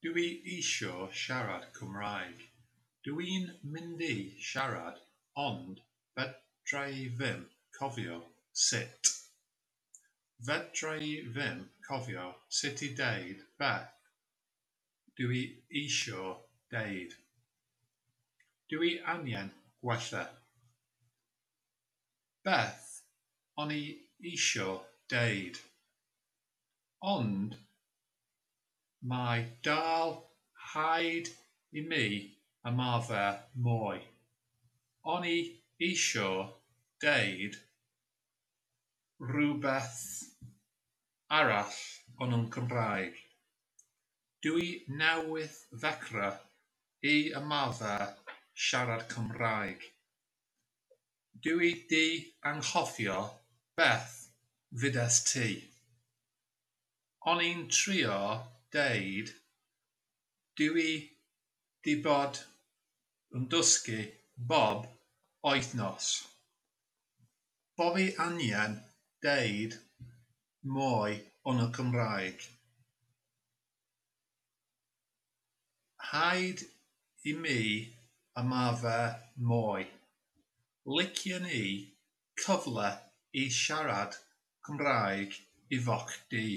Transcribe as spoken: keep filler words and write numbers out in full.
Dw i isio siarad Cymraeg. Dw i'n mynd i siarad ond fedrai ddim cofio sut. Fedrai ddim cofio sut i deud beth dw i isio deud. Dw i angen gwella. Beth o'n i isio deud? Ond mae dal rhaid i mi ymarfer mwy. O'n i isio deud rhywbeth arall yn y Cymraeg. Dw i newydd ddechrau i ymarfer siarad Cymraeg. Dw i 'di anghofio beth ddudest ti. O'n i'n trio deud dw i 'di bod yn dysgu bob wythnos. Bo fi angen deud mwy yn y Cymraeg. Rhaid i mi ymarfer mwy. Licen i cyfle i siarad Cymraeg efo chdi.